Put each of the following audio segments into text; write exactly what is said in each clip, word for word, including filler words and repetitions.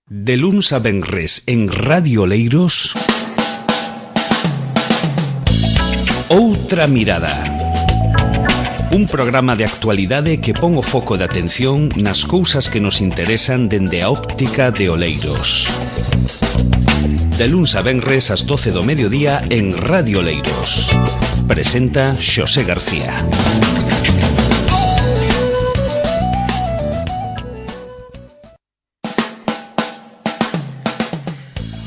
De luns a venres en Radio Oleiros, Outra Mirada. Un programa de actualidade que pon o foco de atención nas cousas que nos interesan dende a óptica de Oleiros. De luns a venres ás doce do mediodía en Radio Oleiros. Presenta Xosé García.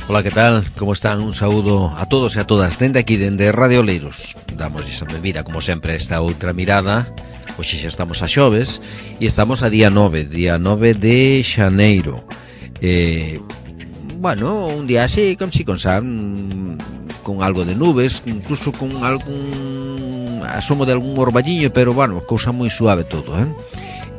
Ola, que tal? Como están? Un saúdo a todos e a todas dende aquí, dende Radio Oleiros. Damos esa bebida, como sempre, esta outra mirada. Hoxe xa estamos a xoves e estamos a día nove, día nove de xaneiro. eh, Bueno, un día así, con si con san, con algo de nubes, incluso con algún asomo de algún orballiño, pero bueno, cousa moi suave todo, eh?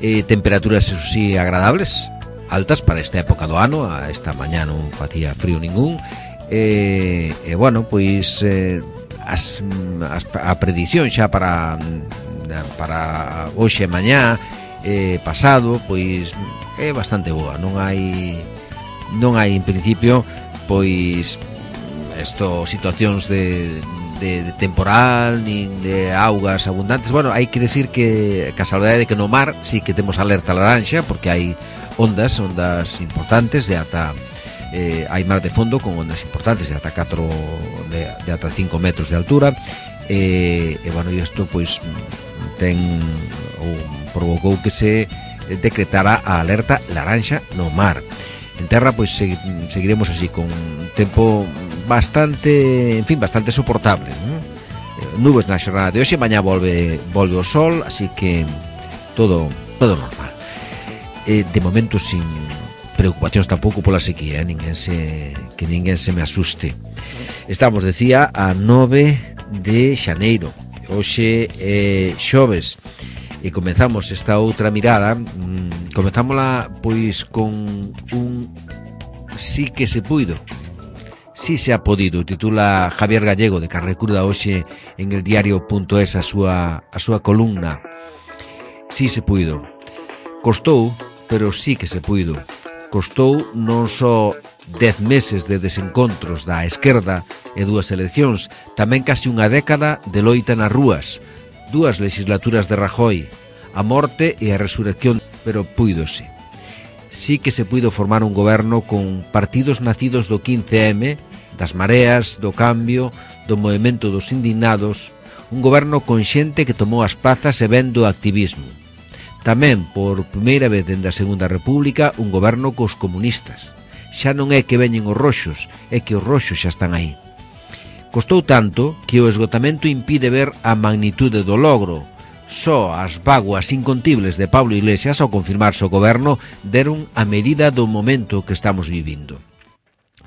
eh Temperaturas, eso sí, agradables, altas para esta época do ano. A esta mañá non facía frío ningún. E, e bueno, pois eh, as, as, a predición xa para para hoxe e mañá eh, pasado, pois é bastante boa. Non hai non hai en principio pois esto situacións de De, de temporal, nin de augas abundantes. Bueno, hai que decir que a salvedade de que no mar sí que temos alerta laranxa, porque hai ondas, ondas importantes de ata eh, hai mar de fondo con ondas importantes de ata catro de, de ata cinco metros de altura. E, e bueno, isto pois ten ou provocou que se decretara a alerta laranxa no mar. En terra pois seguiremos así con un tempo bastante, en fin, bastante soportable, ¿no? Nubes na xornada de hoxe, mañá volve volve o sol, así que todo todo normal. Eh, de momento sin preocupacións tampouco pola sequía, eh? ninguén se que ninguén se me asuste. Estamos, decía, a nove de xaneiro. Hoxe é eh, xoves e comezamos esta outra mirada. Mmm, comezámola pois con un sí que se puido. Si se ha podido, titula Javier Gallego, de Carrecruda hoxe en el diario.es a súa a súa columna. Si se puido. Costou, pero sí que se puido. Costou non só dez meses de desencontros da esquerda e dúas eleccións, tamén casi unha década de loita nas rúas, dúas legislaturas de Rajoy, a morte e a resurrección, pero puídose. Sí que se puido formar un goberno con partidos nacidos do quince eme, das mareas, do cambio, do movemento dos indignados, un goberno con xente que tomou as plazas e vendo o activismo. Tamén, por primeira vez dende a Segunda República, un goberno cos comunistas. Xa non é que veñen os roxos, é que os roxos xa están aí. Costou tanto que o esgotamento impide ver a magnitude do logro. Só as vaguas incontibles de Pablo Iglesias, ao confirmarse o goberno, deron a medida do momento que estamos vivindo.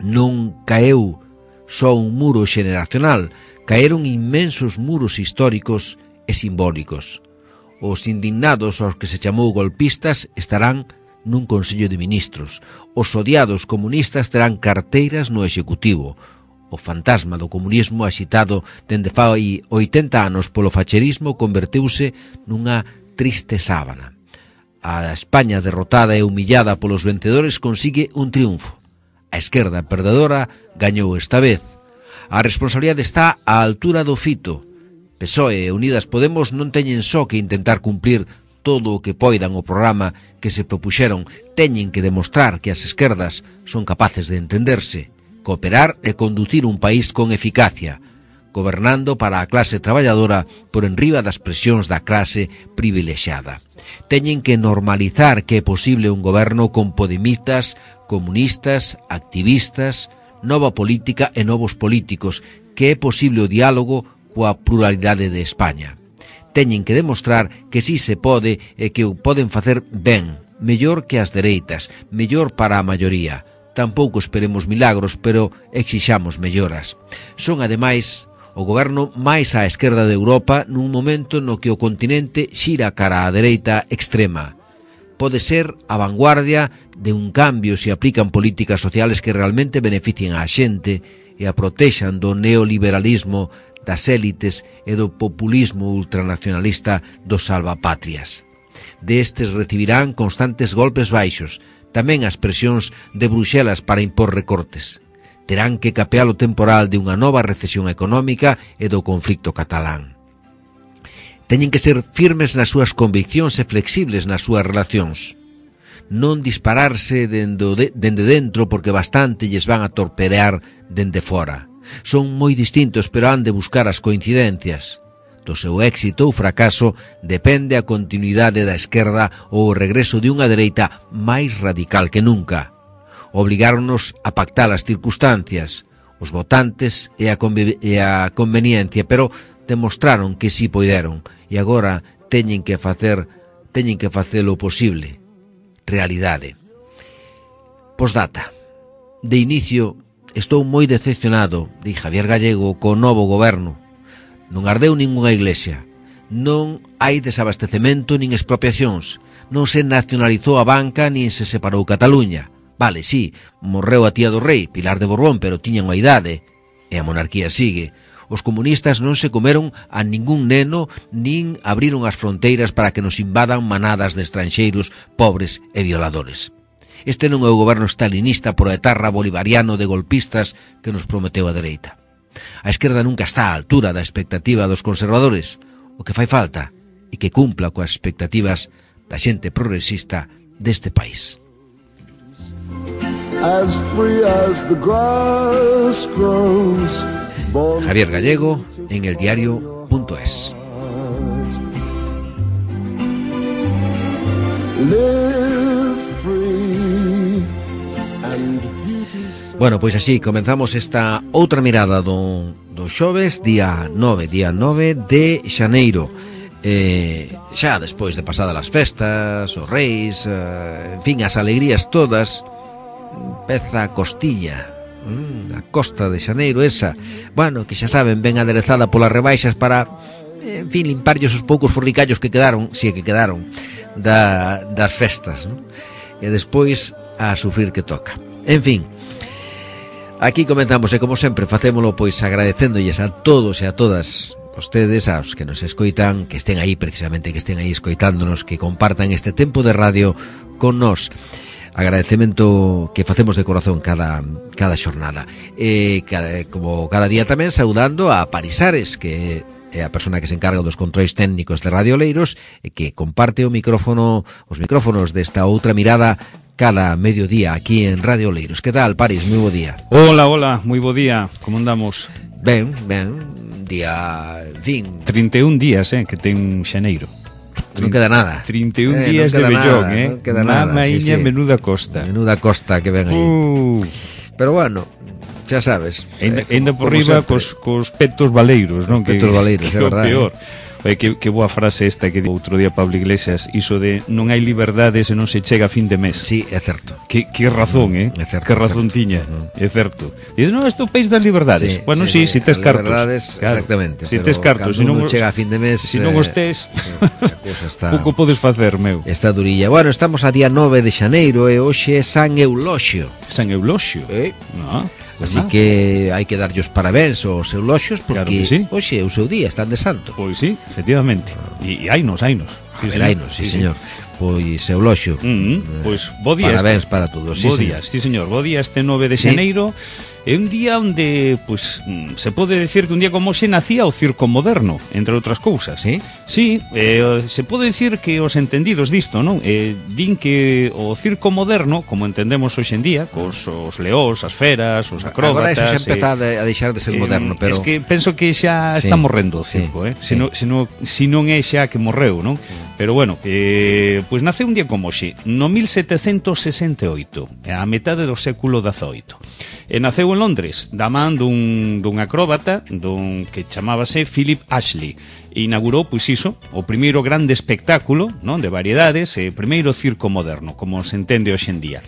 Non caeu só un muro xeneracional, caeron inmensos muros históricos e simbólicos. Os indignados aos que se chamou golpistas estarán nun Consello de Ministros. Os odiados comunistas terán carteiras no Executivo. O fantasma do comunismo axitado dende fai oitenta anos polo facherismo converteuse nunha triste sábana. A España derrotada e humillada polos vencedores consigue un triunfo. A esquerda perdedora gañou esta vez. A responsabilidade está á altura do fito. P S O E e Unidas Podemos non teñen só que intentar cumplir todo o que poidan o programa que se propuxeron, teñen que demostrar que as esquerdas son capaces de entenderse, cooperar e conducir un país con eficacia, gobernando para a clase traballadora por enriba das presións da clase privilexiada. Teñen que normalizar que é posible un goberno con podemistas, comunistas, activistas, nova política e novos políticos, que é posible o diálogo coa pluralidade de España. Teñen que demostrar que si se pode e que o poden facer ben, mellor que as dereitas, mellor para a maioría. Tampouco esperemos milagros, pero exixamos melloras. Son, ademais, o goberno máis á esquerda de Europa nun momento no que o continente xira cara á dereita extrema. Pode ser a vanguardia de un cambio se aplican políticas sociales que realmente beneficien á xente e a protexan do neoliberalismo, das élites e do populismo ultranacionalista dos salvapatrias. Destes recibirán constantes golpes baixos, tamén as presións de Bruxelas para impor recortes. Terán que capear o temporal de unha nova recesión económica e do conflicto catalán. Teñen que ser firmes nas súas conviccións e flexibles nas súas relacións. Non dispararse dende, dende dentro porque bastante lles van a torpedear dende fora. Son moi distintos, pero han de buscar as coincidencias. Do seu éxito ou fracaso depende a continuidade da esquerda ou o regreso de unha dereita máis radical que nunca. Obligáronos a pactar as circunstancias, os votantes e a, e a conveniencia, pero demostraron que si poideron e agora teñen que facer teñen que facelo posible. Realidade. Postdata. De inicio, estou moi decepcionado, di Javier Gallego, co novo goberno. Non ardeu ningunha iglesia, non hai desabastecemento nin expropiacións, non se nacionalizou a banca nin se separou Cataluña. Vale, sí, morreu a tía do rei, Pilar de Borbón, pero tiña unha idade, e a monarquía sigue. Os comunistas non se comeron a ningún neno nin abriron as fronteiras para que nos invadan manadas de estranxeiros pobres e violadores. Este non é o goberno stalinista proetarra bolivariano de golpistas que nos prometeu a dereita. A esquerda nunca está á altura da expectativa dos conservadores. O que fai falta é que cumpla coas expectativas da xente progresista deste país. As free as the grass grows. Javier Gallego en el diario punto es. Bueno, pois así comenzamos esta outra mirada do, do xoves, día nove, día nove de xaneiro. Eh, xa despois de pasadas as festas, os reis, eh, en fin, as alegrías todas, peza a costiña, mm, a costa de xaneiro esa, bueno, que xa saben, ben aderezada polas rebaixas para, en fin, limparlles os poucos forricallos que quedaron, si é que quedaron, da, das festas, ¿no? E despois a sufrir que toca. En fin, aquí comenzamos e como sempre facémolo pois agradecéndolles a todos e a todas vostedes, aos que nos escoitan, que estén aí precisamente, que estén aí escoitándonos, que compartan este tempo de radio con nós. Agradecemento que facemos de corazón cada, cada xornada. E cada, como cada día tamén saudando a Parisares, que é a persona que se encarga dos controis técnicos de Radio Oleiros e que comparte o micrófono, os micrófonos desta outra mirada cada mediodía aquí en Radio Oleiros. Que tal, Paris? Moi bo día. Hola, hola, moi bo día. Como andamos? Ben, ben, día, en fin, trinta e un días, eh, que ten xaneiro. Non queda nada. trinta e un eh, días de vellón, nada, eh. Non queda nada. Mamaíña, sí, sí. Menuda costa. Menuda costa que ven aí. Uh. Pero bueno, xa sabes. Ainda, eh, ainda por riba cos, cos petos valeiros, non? Petos que, valeiros, é verdade. Peor. Oye, que, que boa frase esta que digo outro día Pablo Iglesias, iso de non hai liberdade se non se chega a fin de mes. Sí, é certo. Que, que razón, eh? É certo, que razón certo. tiña, uh-huh. É certo. Dice, non, isto é o país das liberdades. Sí, bueno, sí, si sí, sí, tes cartos. Liberdades, claro, exactamente. Si tes cartos, se non chega a fin de mes, si non os tes, está, pouco podes facer, meu. Está durilla. Bueno, estamos a día nove de xaneiro e hoxe é San Euloxio. San Euloxio? Eh? No. Así nada. Que hai que darlle os parabéns aos euloxios porque claro sí. Hoxe é o seu día, están de santo. Pois sí, efectivamente. E, e hainos, hainos. Sí, hainos, sí, sí, señor. Pois euloxio. Mm -hmm. Pois bo día. Parabéns este. Para todos. Sí, bo día, sí, señor. Bo día este nove de xaneiro. É un día onde, pues, se pode decir que un día como hoxe nacía o circo moderno, entre outras cousas. Sí? Sí, eh, se pode decir que os entendidos disto, non? Eh, din que o circo moderno, como entendemos hoxe en día, cos os leós, as feras, os acróbatas... Agora eso xa empeza eh, a deixar de ser eh, moderno, pero... Es que penso que xa sí, está morrendo o circo, sí, eh? Se, sí. no, se, no, se non é xa que morreu, non? Sí. Pero bueno, eh, pues nace un día como hoxe, no mil setecentos sesenta e oito, a metade do século dezaoito. E naceu en Londres, da man dun, dun acróbata dun que chamábase Philip Ashley. E inaugurou, pois iso, o primeiro grande espectáculo, non, de variedades, e primeiro circo moderno, como se entende hoxe en día.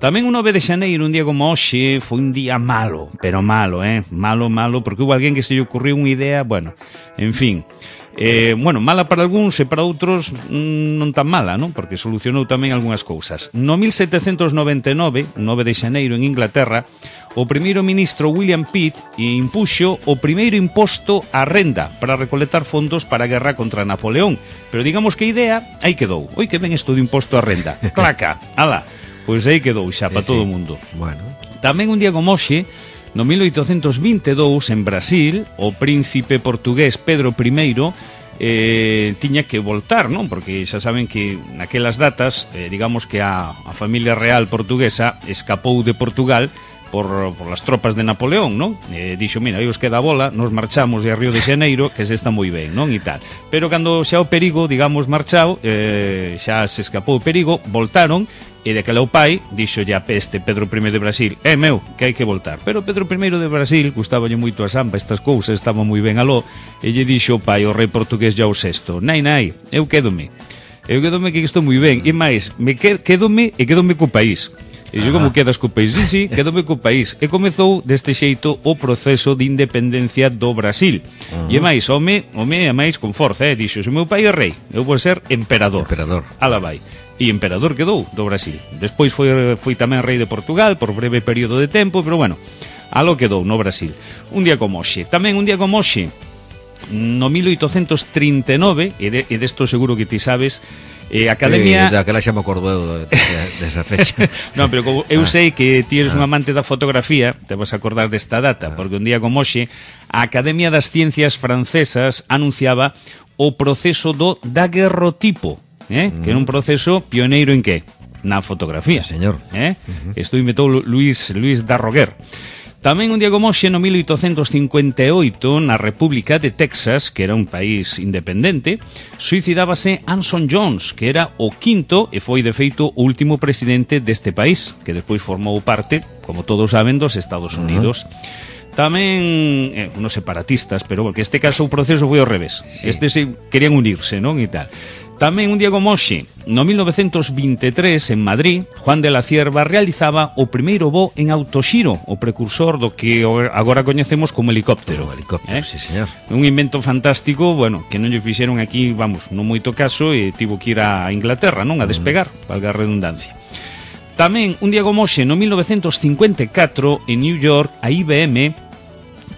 Tamén o nove de xaneiro, un día como hoxe, foi un día malo, pero malo, eh, malo, malo, porque hubo alguén que se lle ocurriu unha idea, bueno, en fin... Eh, bueno, mala para algúns e para outros mm, non tan mala, non? Porque solucionou tamén algunhas cousas. No mil setecentos noventa e nove, nove de xaneiro en Inglaterra, o primeiro ministro William Pitt impuxo o primeiro imposto á renda para recolectar fondos para a guerra contra Napoleón. Pero digamos que a idea aí quedou. Oi, que ven isto de imposto á renda. Claca, ala. Pois aí quedou xa Sí, para sí. todo o mundo. Bueno, Tamén un día como hoxe, no mil oitocentos vinte e dous, en Brasil, o príncipe portugués Pedro I eh, tiña que voltar, non? Porque xa saben que naquelas datas, eh, digamos que a, a familia real portuguesa escapou de Portugal por, por las tropas de Napoleón, non? Eh, dixo, mira, aí os queda a bola, nos marchamos de a Río de Xaneiro, que se está moi ben, non? E tal. Pero cando xa o perigo, digamos, marchao, eh, xa se escapou o perigo, voltaron, e de que o pai dixo ya peste Pedro I de Brasil, é meu, que hai que voltar. Pero Pedro I de Brasil gustaballe moito a samba, estas cousas, estaba moi ben aló, e lle dixo o pai, o rei portugués João sexto, nai, nai, eu quédome, eu quédome que estou moi ben, e máis, me quédome e quédome co país. E dixo, como quedas co país? Sí, sí, quédome co país. E comezou deste xeito o proceso de independencia do Brasil. Uh -huh. E máis, home, home, e máis con forza, eh? Dixo, se o meu pai é rei, eu vou ser emperador. Emperador. Ala vai. E emperador quedou do Brasil. Despois foi, foi tamén rei de Portugal por breve período de tempo, pero bueno, alo quedou no Brasil. Un día como hoxe. Tamén un día como hoxe, no mil oitocentos trinta e nove, e, de, e desto seguro que ti sabes, eh, Academia... Eh, daquela xa me acordo eu desa fecha. Non, pero como eu ah. sei que ti eres ah. un amante da fotografía, te vas a acordar desta data, ah. porque un día como hoxe, a Academia das Ciencias Francesas anunciaba o proceso do daguerrotipo, eh? Mm. que era un proceso pioneiro en que? Na fotografía. Sí, señor. Eh? Uh -huh. Isto inventou Luis, Luis Darroguer. Tamén un día como hoxe, no mil oitocentos cincuenta e oito, na República de Texas, que era un país independente, suicidábase Anson Jones, que era o quinto e foi de feito o último presidente deste país, que despois formou parte, como todos saben, dos Estados Unidos. Uh-huh. Tamén, eh, unos separatistas, pero porque este caso o proceso foi ao revés. Sí. Estes querían unirse, non? E tal. Tamén un día como hoxe, no mil novecentos vinte e tres, en Madrid, Juan de la Cierva realizaba o primeiro voo en autoxiro, o precursor do que agora coñecemos como helicóptero. O helicóptero, eh? Sí, señor. Un invento fantástico, bueno, que non lle fixeron aquí, vamos, non moito caso, e tivo que ir a Inglaterra, non? A despegar, mm. valga a redundancia. Tamén, un día como hoxe, no mil novecentos cincuenta e catro, en New York, a I B M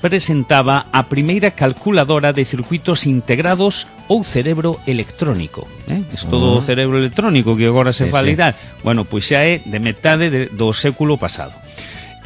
presentaba a primeira calculadora de circuitos integrados ou cerebro electrónico, eh? Isto do cerebro electrónico que agora se sí, fala sí. e tal, bueno, pois xa é de metade de, do século pasado.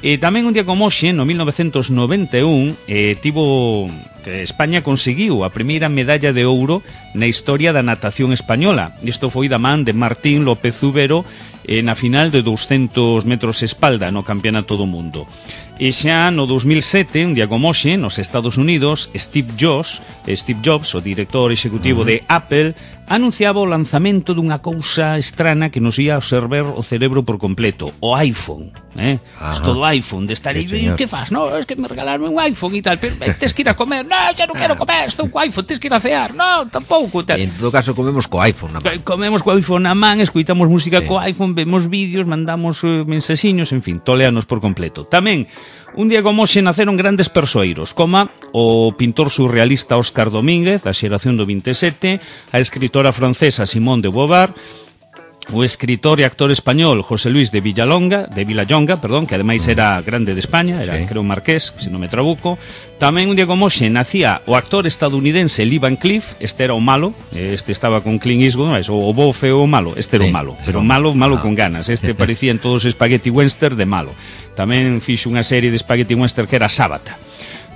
E tamén un día como hoxe, no mil novecentos noventa e un, eh, tivo que España conseguiu a primeira medalla de ouro na historia da natación española. Isto foi da man de Martín López Ubero eh, na final de douscentos metros espalda no Campeonato do Mundo. E xa no dos mil sete, un día como hoxe, nos Estados Unidos, Steve Jobs, Steve Jobs, o director executivo uh-huh. de Apple, anunciaba o lanzamento dunha cousa estrana que nos ia absorber o cerebro por completo, o iPhone, eh? Isto do iPhone, de estar aí, que faz? No, es que me regalaron un iPhone e tal, pero tes que ir a comer, no, xa non quero comer, estou co iPhone, tes que ir a cear, no, tampouco, tal. En todo caso comemos co iPhone na man. Comemos co iPhone na man, escoitamos música sí. co iPhone, vemos vídeos, mandamos uh, mensaxiños, en fin, toleanos por completo. Tamén, un día como hoxe naceron grandes persoeiros, como o pintor surrealista Óscar Domínguez, da xeración do vinte e sete, a escritora francesa Simone de Beauvoir, o escritor e actor español José Luis de Villalonga, de Vilallonga, perdón, que ademais era grande de España, era sí. creo marqués, se non me trabuco. Tamén un día como hoxe nacía o actor estadounidense Lee Van Cleef, este era o malo, este estaba con Clint Eastwood, o o bo feo o malo, este era sí, o malo, pero malo, malo ah. con ganas, este parecía en todos os spaghetti western de malo. Tamén fixo unha serie de spaghetti western que era Sábata.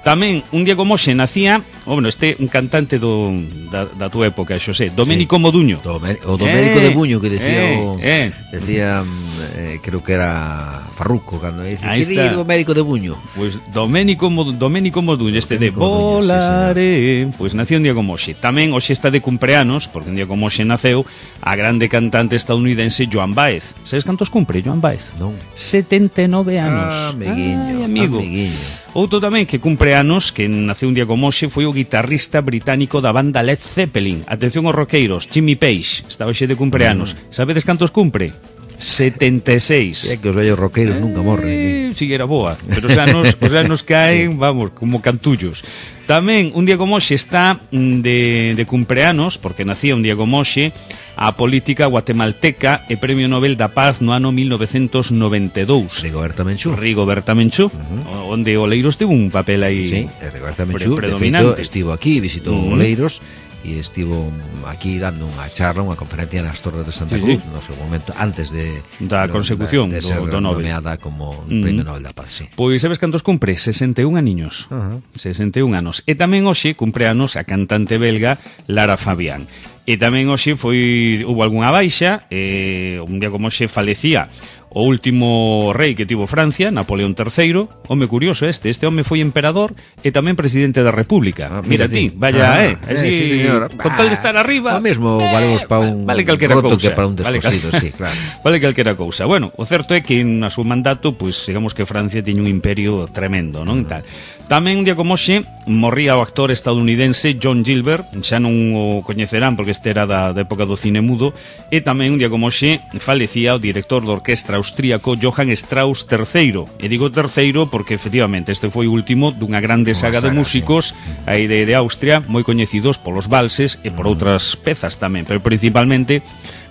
Tamén, un día como hoxe nacía, oh, bueno, este un cantante do, da, da túa época, Xosé, Doménico sí. Moduño. Domé, o Doménico eh, de Buño, que decía, eh, o, eh. decía eh, creo que era Farruco, cando decía, que di Doménico de Buño? Pues Doménico, Doménico Moduño, este de Volaré, sí, pues nació un día como hoxe. Tamén hoxe está de cumpleanos, porque un día como hoxe naceu a grande cantante estadounidense Joan Baez. Sabes cantos cumpre Joan Baez? Non. setenta e nove anos. Ah, amiguinho, Ay, amigo. amiguinho. Outro tamén que cumpre anos, que naceu un día como hoxe, foi o guitarrista británico da banda Led Zeppelin. Atención aos roqueiros, Jimmy Page, estaba hoxe de cumpleanos. Mm. Sabedes cantos cumpre? setenta e seis. É que os vellos roqueiros eh, nunca morren. Si era boa, pero os anos, os anos caen, vamos, como cantullos. Tamén, un día como hoxe está de, de cumpleanos, porque nacía un día como hoxe, a política guatemalteca e Premio Nobel da Paz no ano mil novecentos noventa e dous. Rigoberta Menchú. Rigoberta Menchú, uh-huh. onde Oleiros teve un papel aí sí, Rigoberta Menchú, de feito, estivo aquí, visitou uh-huh. Oleiros, e estivo aquí dando unha charla, unha conferencia nas Torres de Santa sí, Cruz, sí. no seu momento, antes de da consecución de, de ser do, do Nobel, nomeada como mm. Premio Nobel da Paz, sí. Pois sabes cantos cumpre? sesenta e un aniños. Uh -huh. sesenta e un anos. E tamén hoxe cumpre anos a cantante belga Lara Fabián. E tamén hoxe foi hubo algunha baixa, eh, un día como hoxe falecía o último rei que tivo Francia, Napoleón terceiro. Home curioso este, este home foi emperador e tamén presidente da República. Ah, mira, mira ti, vaya, ah, eh, así, eh, sí, señor. Con tal de estar arriba. O mesmo valemos para un vale calquera roto cousa, que para un descosido, vale, sí, claro. Vale calquera cousa. Bueno, o certo é que na súa mandato, pois, pues, digamos que Francia tiña un imperio tremendo, non? Tal. Tamén un día como hoxe morría o actor estadounidense John Gilbert, xa non o coñecerán porque este era da, da época do cine mudo, e tamén un día como hoxe falecía o director da orquestra austríaco Johann Strauss terceiro. E digo terceiro porque efectivamente este foi o último dunha grande saga, saga de músicos sí. aí de, de Austria, moi coñecidos polos valses e por outras pezas tamén, pero principalmente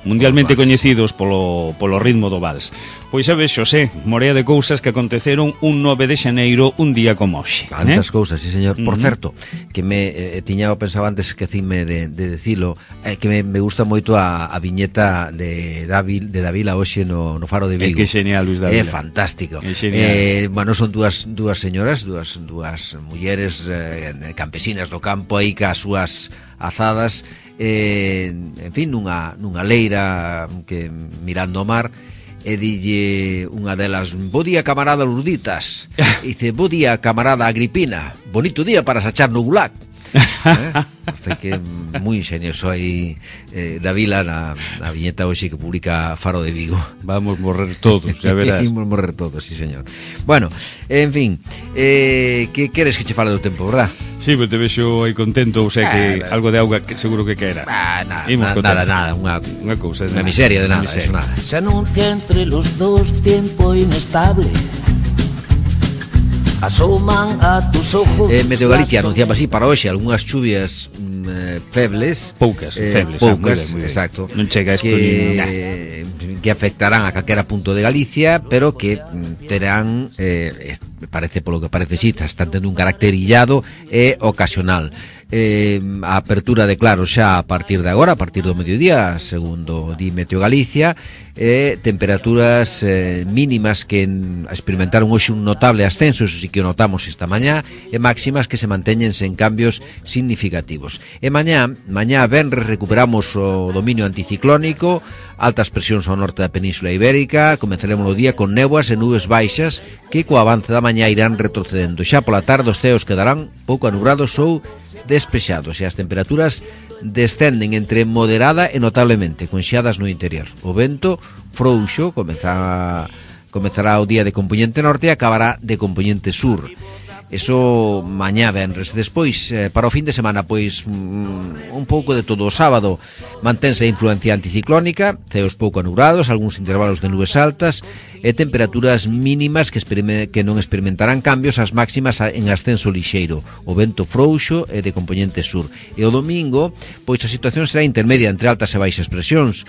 mundialmente coñecidos polo, polo ritmo do vals. Pois xa ves, Xosé, morea de cousas que aconteceron un nove de xaneiro, un día como hoxe. Tantas eh? cousas, sí, señor. Por Uh-huh. certo, que me eh, tiña pensado antes que cime de, de decilo, eh, que me, me gusta moito a, a viñeta de David, de Davila hoxe no, no Faro de Vigo. É que genial, Luis Davila. É fantástico. É genial. Eh, bueno, son dúas, dúas señoras, dúas, dúas mulleres eh, campesinas do campo aí cas súas azadas, eh, en fin, nunha, nunha leira que mirando o mar, e dille unha delas: bo día, camarada Lurditas. E dice: bo día, camarada Agripina, bonito día para sachar no gulag. eh? Así que moi ingenioso aí eh, Davila na, na viñeta hoxe que publica Faro de Vigo. Vamos morrer todos, xa verás. Vamos morrer todos, sí, señor. Bueno, en fin, eh, que queres que che fale do tempo, verdad? Sí, pero te vexo aí contento, ou sea que ah, algo de auga que seguro que quera. Ah, nada, nada, nada, nada, unha, unha cousa, unha miseria de nada, miseria. Eso nada. Se anuncia entre los dos tiempo inestable. Asoman a tus ojos. Eh, Meteo Galicia anunciaba así para hoxe algunhas chuvias mm, febles, poucas, eh, febles, poucas, ah, muy bien, muy bien. exacto. Non chega isto que, ni que afectarán a calquera punto de Galicia, pero que mm, terán eh, parece polo que parece si, están tendo un carácter illado e ocasional. Eh, a apertura de claro xa a partir de agora, a partir do mediodía, segundo di Meteo Galicia, eh, temperaturas eh, mínimas que en, experimentaron hoxe un notable ascenso, eso sí que o notamos esta mañá, e máximas que se manteñen sen cambios significativos. E mañá, mañá venres recuperamos o dominio anticiclónico, altas presións ao norte da Península Ibérica, comenzaremos o día con néboas e nubes baixas que co avance da mañá irán retrocedendo. Xa pola tarde os ceos quedarán pouco anubrados ou despexados e as temperaturas descenden entre moderada e notablemente, con xeadas no interior. O vento frouxo comezará, comezará o día de compoñente norte e acabará de compoñente sur. Eso mañá venres. Despois, eh, para o fin de semana, pois mm, un pouco de todo. O sábado mantense a influencia anticiclónica, ceos pouco anubrados, algúns intervalos de nubes altas e temperaturas mínimas que, que non experimentarán cambios, as máximas en ascenso lixeiro. O vento frouxo e de compoñente sur. E o domingo, pois a situación será intermedia entre altas e baixas presións,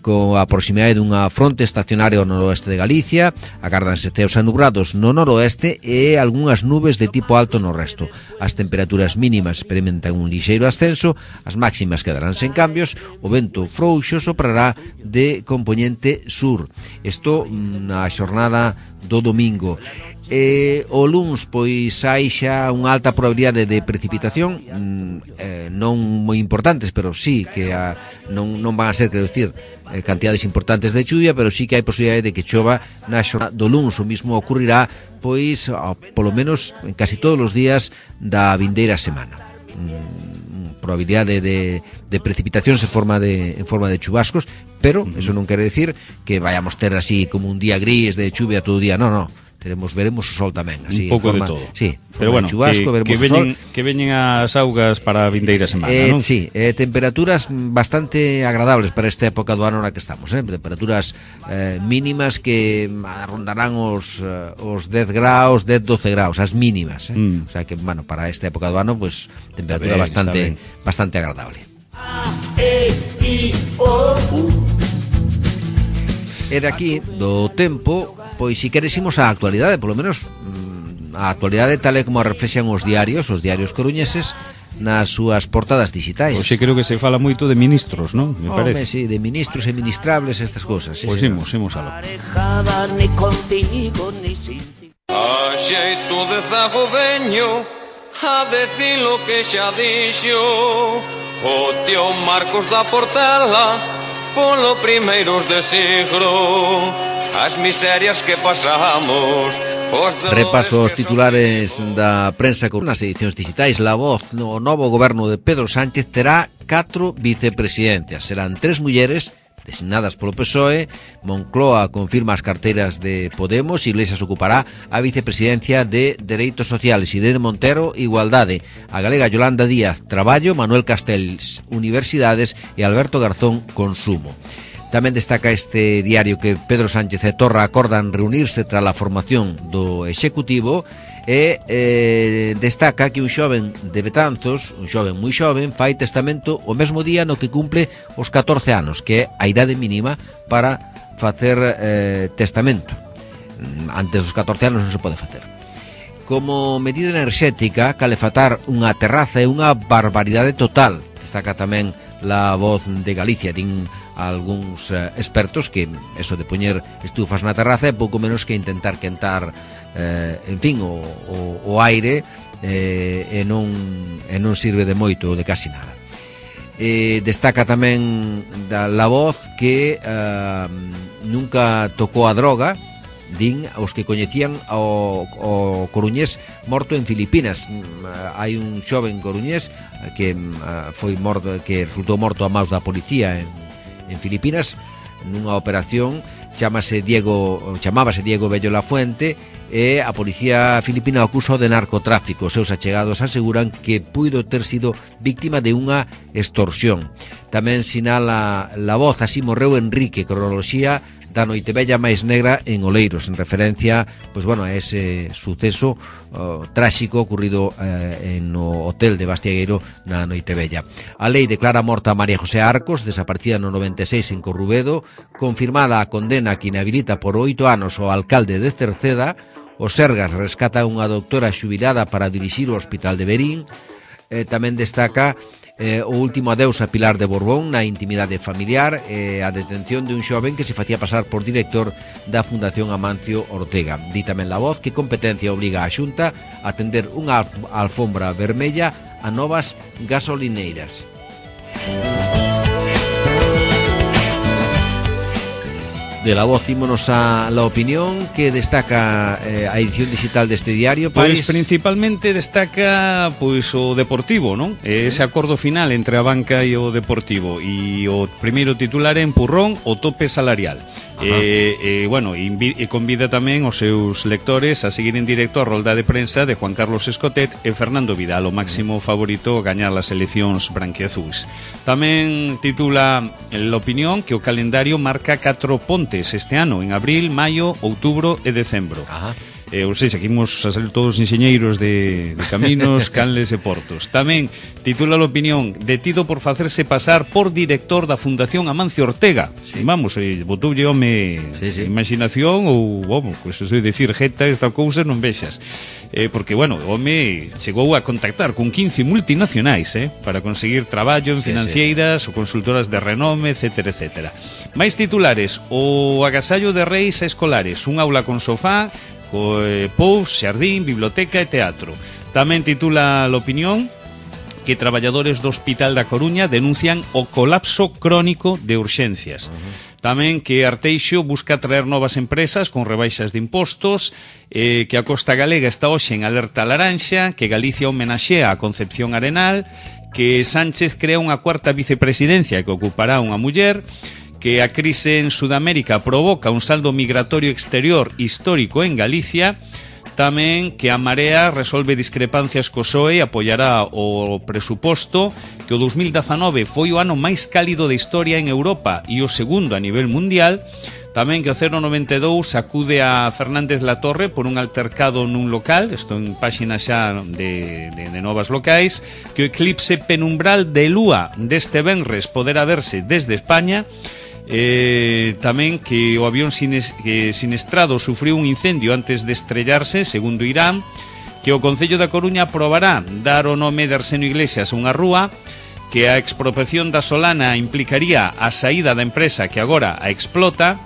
coa proximidade dunha fronte estacionaria ao noroeste de Galicia, agárdanse ceos anubrados no noroeste e algunhas nubes de tipo alto no resto. As temperaturas mínimas experimentan un lixeiro ascenso, as máximas quedarán sen cambios, o vento frouxo soprará de compoñente sur. Isto na xornada do domingo. E o luns pois hai xa unha alta probabilidade de precipitación, eh, non moi importantes, pero sí que a, non, non van a ser, quero dicir, eh, cantidades importantes de chuvia, pero sí que hai posibilidade de que chova na xornada do luns. O mismo ocurrirá pois a, polo menos en casi todos os días da vindeira semana. Mm, probabilidade de, de precipitacións en forma de, en forma de chubascos, pero eso non quere decir que vayamos ter así como un día gris de chuvia todo o día, non, non. Teremos, veremos o sol tamén, así, un pouco forma, de todo. Sí, pero bueno, chubasco, que, que, veñen, o sol. que veñen as augas para a vindeira semana, eh, non? Sí, eh, temperaturas bastante agradables para esta época do ano na que estamos, eh? Temperaturas eh, mínimas que rondarán os, eh, os dez graus, dez, doce graus, as mínimas, eh? mm. O sea que, bueno, para esta época do ano, pues, temperatura bien, bastante bastante agradable. A, E, I, O, U. E daqui do tempo, pois si queresimo a actualidade, polo menos a actualidade tal e como a reflexan os diarios, os diarios coruñeses, nas súas portadas digitais. Hoxe creo que se fala moito de ministros, non? Me Home, parece. sí, de ministros e ministrables, estas cosas. Sí, Pois sí, imos, imos aló. Ni contigo ni sin ti. A xeito de zago veño a decir lo que xa dixo o tío Marcos da Portela polo primeiros de siglo. As miserias que pasamos. Repaso os titulares da prensa con nas edicións digitais. La Voz, no novo goberno de Pedro Sánchez terá catro vicepresidencias. Serán tres mulleres designadas polo P S O E. Moncloa confirma as carteiras de Podemos. Iglesias ocupará a vicepresidencia de Dereitos Sociales. Irene Montero, Igualdade. A galega Yolanda Díaz, Traballo. Manuel Castells, Universidades. E Alberto Garzón, Consumo. Tamén destaca este diario que Pedro Sánchez e Torra acordan reunirse tras a formación do Executivo e eh, destaca que un xoven de Betanzos, un xoven moi xoven, fai testamento o mesmo día no que cumple os catorce anos, que é a idade mínima para facer eh, testamento. Antes dos catorce anos non se pode facer. Como medida enerxética, calefatar unha terraza é unha barbaridade total. Destaca tamén La Voz de Galicia. Din algúns eh, expertos que eso de poñer estufas na terraza é pouco menos que intentar quentar eh, en fin, o, o, o aire eh, e, non, e non sirve de moito, de casi nada. Eh, destaca tamén da La Voz que eh, nunca tocou a droga. Din os que coñecían o, o coruñés morto en Filipinas. Hai un xoven coruñés que uh, foi morto, que resultou morto a maus da policía en, en Filipinas nunha operación. Chámase Diego, chamábase Diego Bello Lafuente e a policía filipina acusa de narcotráfico. Os seus achegados aseguran que puido ter sido víctima de unha extorsión. Tamén sinala La Voz, así morreu Enrique, cronoloxía da Noitevella máis negra en Oleiros, en referencia, pois bueno, a ese suceso uh, tráxico ocurrido uh, en no hotel de Bastiagueiro na Noitevella. A lei declara morta a María José Arcos, desaparecida no noventa e seis en Corrubedo, confirmada a condena que inhabilita por oito anos o alcalde de Cerceda. Os Sergas rescata unha doctora xubilada para dirixir o hospital de Verín. Eh, tamén destaca Eh, o último adeus a Pilar de Borbón na intimidade familiar e eh, a detención de un xoven que se facía pasar por director da Fundación Amancio Ortega. Di tamén La Voz que competencia obriga a Xunta a tender unha alfombra vermella a novas gasolineiras. De La Voz ímonos a La Opinión, que destaca eh, a edición digital deste diario. Pois principalmente destaca pois o Deportivo, non? Ese acordo final entre a banca e o Deportivo. E o primeiro titular é empurrón o tope salarial. E, e, bueno, e convida tamén os seus lectores a seguir en directo a rolda de prensa de Juan Carlos Escotet e Fernando Vidal, o máximo favorito a gañar as eleccións branquiazuis. Tamén titula La Opinión que o calendario marca catro pontes este ano, en abril, maio, outubro e decembro. Ajá. Eh, ou seja, que imos a ser todos enxeñeiros de, de caminos, canles e portos. Tamén titula La Opinión detido por facerse pasar por director da Fundación Amancio Ortega. Sí. Vamos, eh, botoulle home sí, sí. imaginación ou, vamos, pues eso é dicir, jeta, esta cousa non vexas. Eh, porque, bueno, o home chegou a contactar con quince multinacionais eh, para conseguir traballo en financeiras sí, sí. ou consultoras de renome, etcétera, etcétera. Mais titulares: o agasallo de reis a escolares, un aula con sofá, co eh, pous, xardín, biblioteca e teatro. Tamén titula La Opinión que traballadores do Hospital da Coruña denuncian o colapso crónico de urxencias. Uh-huh. Tamén que Arteixo busca traer novas empresas con rebaixas de impostos, eh, que a Costa Galega está hoxe en alerta laranxa, que Galicia homenaxea a Concepción Arenal, que Sánchez crea unha cuarta vicepresidencia que ocupará unha muller, que a crise en Sudamérica provoca un saldo migratorio exterior histórico en Galicia. Tamén que a Marea resolve discrepancias co P S O E e apoiará o presuposto, que o dos mil dezanove foi o ano máis cálido de historia en Europa e o segundo a nivel mundial. Tamén que o cero noventa e dous acude a Fernández Latorre por un altercado nun local, isto en páxina xa de, de, de novas locais, que o eclipse penumbral de Lúa deste venres poderá verse desde España. Eh, tamén que o avión sines, que sinestrado sufriu un incendio antes de estrellarse, segundo Irán, que o Concello da Coruña aprobará dar o nome de Arsenio Iglesias a unha rúa, que a expropiación da Solana implicaría a saída da empresa que agora a explota,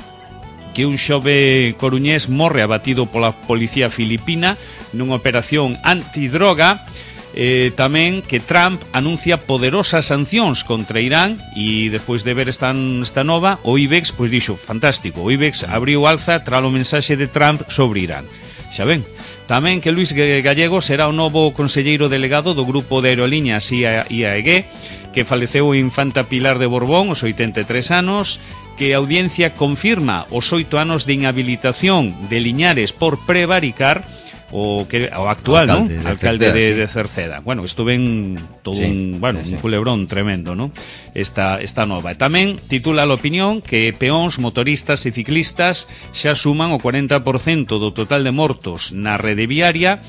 que un xove coruñés morre abatido pola policía filipina nunha operación antidroga, eh, tamén que Trump anuncia poderosas sancións contra Irán, e despois de ver esta, esta nova, o IBEX pois dixo, fantástico, o IBEX abriu alza tras o mensaxe de Trump sobre Irán. Xa ven. Tamén que Luis Gallego será o novo conselleiro delegado do grupo de aerolíneas I A E G, que faleceu o infanta Pilar de Borbón aos oitenta e tres anos, que a audiencia confirma os oito anos de inhabilitación de Liñares por prevaricar o que o actual, ¿no? alcalde, de alcalde Cerceda, de, sí. de Cerceda. Bueno, estuve en todo sí, un, bueno, sí, sí. un culebrón tremendo, ¿no? Esta esta nova. E tamén titula a opinión que peóns, motoristas e ciclistas xa suman o cuarenta por cento do total de mortos na rede viaria,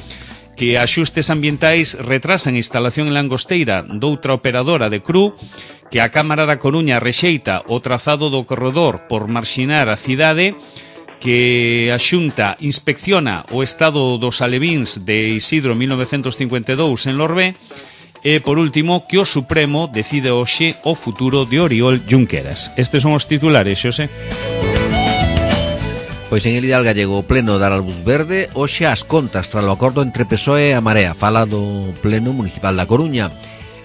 que axustes ambientais retrasan a instalación en Langosteira doutra operadora de Cru, que a Cámara da Coruña rexeita o trazado do corredor por marxinar a cidade, que a Xunta inspecciona o estado dos alevíns de Isidro mil novecentos cincuenta e dous en Lorbé, e, por último, que o Supremo decide hoxe o futuro de Oriol Junqueras. Estes son os titulares, Xosé. Pois en el Ideal Gallego o pleno dará luz verde hoxe as contas tras o acordo entre P S O E e a Marea. Fala do pleno municipal da Coruña.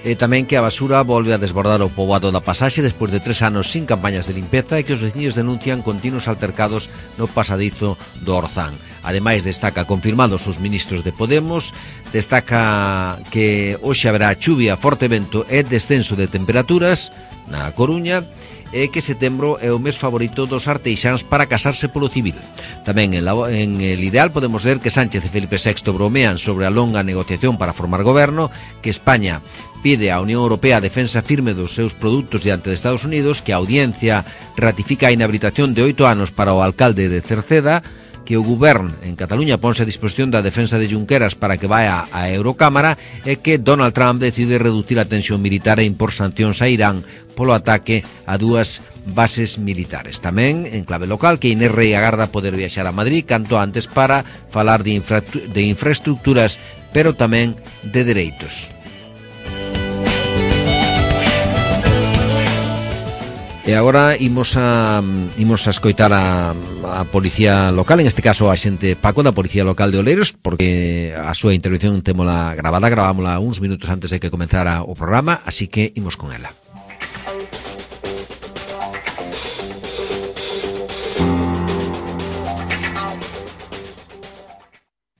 E tamén que a basura volve a desbordar o poboado da Pasaxe despois de tres anos sin campañas de limpeza, e que os veciños denuncian continuos altercados no pasadizo do Orzán. Ademais, destaca confirmados os ministros de Podemos, destaca que hoxe haberá chuvia, forte vento e descenso de temperaturas na Coruña, e que setembro é o mes favorito dos arteixáns para casarse polo civil. Tamén en, la, en el Ideal podemos ver que Sánchez e Felipe sexto bromean sobre a longa negociación para formar goberno, que España pide á Unión Europea a defensa firme dos seus produtos diante de Estados Unidos, que a Audiencia ratifica a inhabilitación de oito anos para o alcalde de Cerceda, que o Govern en Cataluña ponse a disposición da defensa de Junqueras para que vaya á Eurocámara, e que Donald Trump decide reducir a tensión militar e impor sancións a Irán polo ataque a dúas bases militares. Tamén, en clave local, que Inés Rei agarda poder viaxar a Madrid canto antes para falar de, infra de infraestructuras, pero tamén de dereitos. E agora imos a imos a escoitar a, a policía local, en este caso a xente Paco da Policía Local de Oleiros, porque a súa intervención témola gravada, gravámola uns minutos antes de que comenzara o programa, así que imos con ela.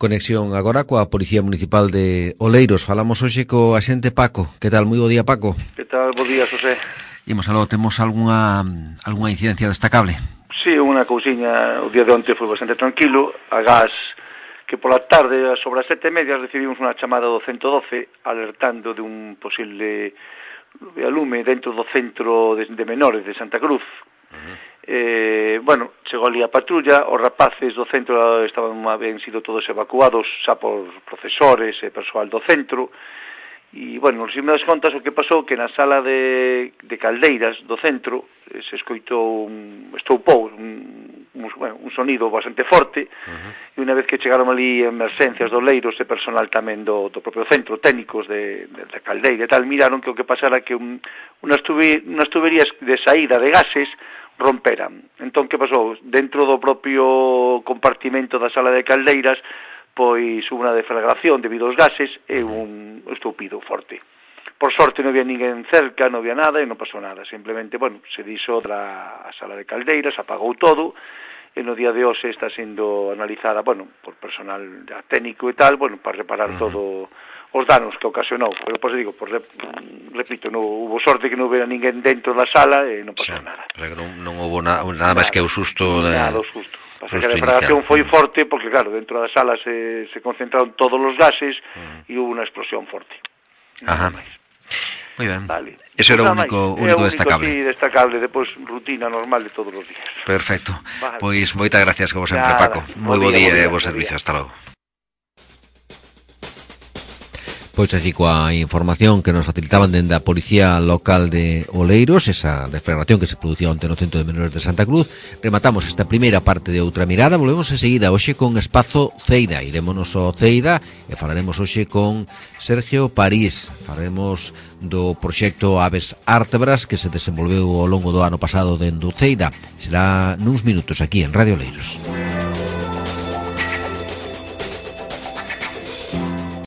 Conexión agora coa Policía Municipal de Oleiros. Falamos hoxe co axente Paco. Que tal? Moi bo día, Paco. Que tal? Bo día, José. Imos aló, temos algunha algunha incidencia destacable? Sí, unha cousiña, o día de onte foi bastante tranquilo, a gas que pola tarde, sobre as sete e media, recibimos unha chamada do ciento doce alertando de un posible alume dentro do centro de, de menores de Santa Cruz. Uh-huh. Eh, bueno, chegou ali a patrulla, os rapaces do centro estaban ben sido todos evacuados xa por profesores e persoal do centro. E, bueno, nos primeras contas o que pasou que na sala de, de Caldeiras do centro eh, se escoitou un, estoupou un, un, bueno, un sonido bastante forte. Uh-huh. E unha vez que chegaron ali emerxencias do Leiros e personal tamén do, do propio centro, técnicos de, de, de Caldeira e tal, miraron que o que pasara que un, unhas, tubi, unhas tuberías de saída de gases romperan. Entón, que pasou? Dentro do propio compartimento da sala de Caldeiras pois hubo unha deflagración debido aos gases e un estoupido forte. Por sorte non había ninguén cerca, non había nada e non pasou nada. Simplemente, bueno, se dixo da sala de Caldeiras, apagou todo, e no día de hoxe está sendo analizada, bueno, por personal técnico e tal, bueno, para reparar uh-huh. todo os danos que ocasionou. Pero, pois digo, pues, repito, non hubo sorte que non hubiera ninguén dentro da sala e non pasou sí, nada. Pero non, non hubo na, nada, nada máis que o susto de... Nada, o susto. Pasa que a deflagración foi forte porque, claro, dentro da sala se, se concentraron todos os gases uh-huh. e hubo unha explosión forte. Ajá. Moi ben. Vale. Eso era o único, único destacable. Sí, destacable, depois rutina normal de todos os días. Perfecto. Vale. Pois moitas gracias, como sempre, Nada. Paco. Moi bo día e bo servicio. Hasta logo. Pois así coa información que nos facilitaban dende a Policía Local de Oleiros, esa deflagración que se producía onte no Centro de Menores de Santa Cruz, rematamos esta primeira parte de Outra Mirada. Volvemos enseguida hoxe con Espazo Ceida. Irémonos ao Ceida e falaremos hoxe con Sergio París. Falaremos do proxecto Aves Ártebras que se desenvolveu ao longo do ano pasado dende o Ceida. Será nuns minutos aquí en Radio Oleiros.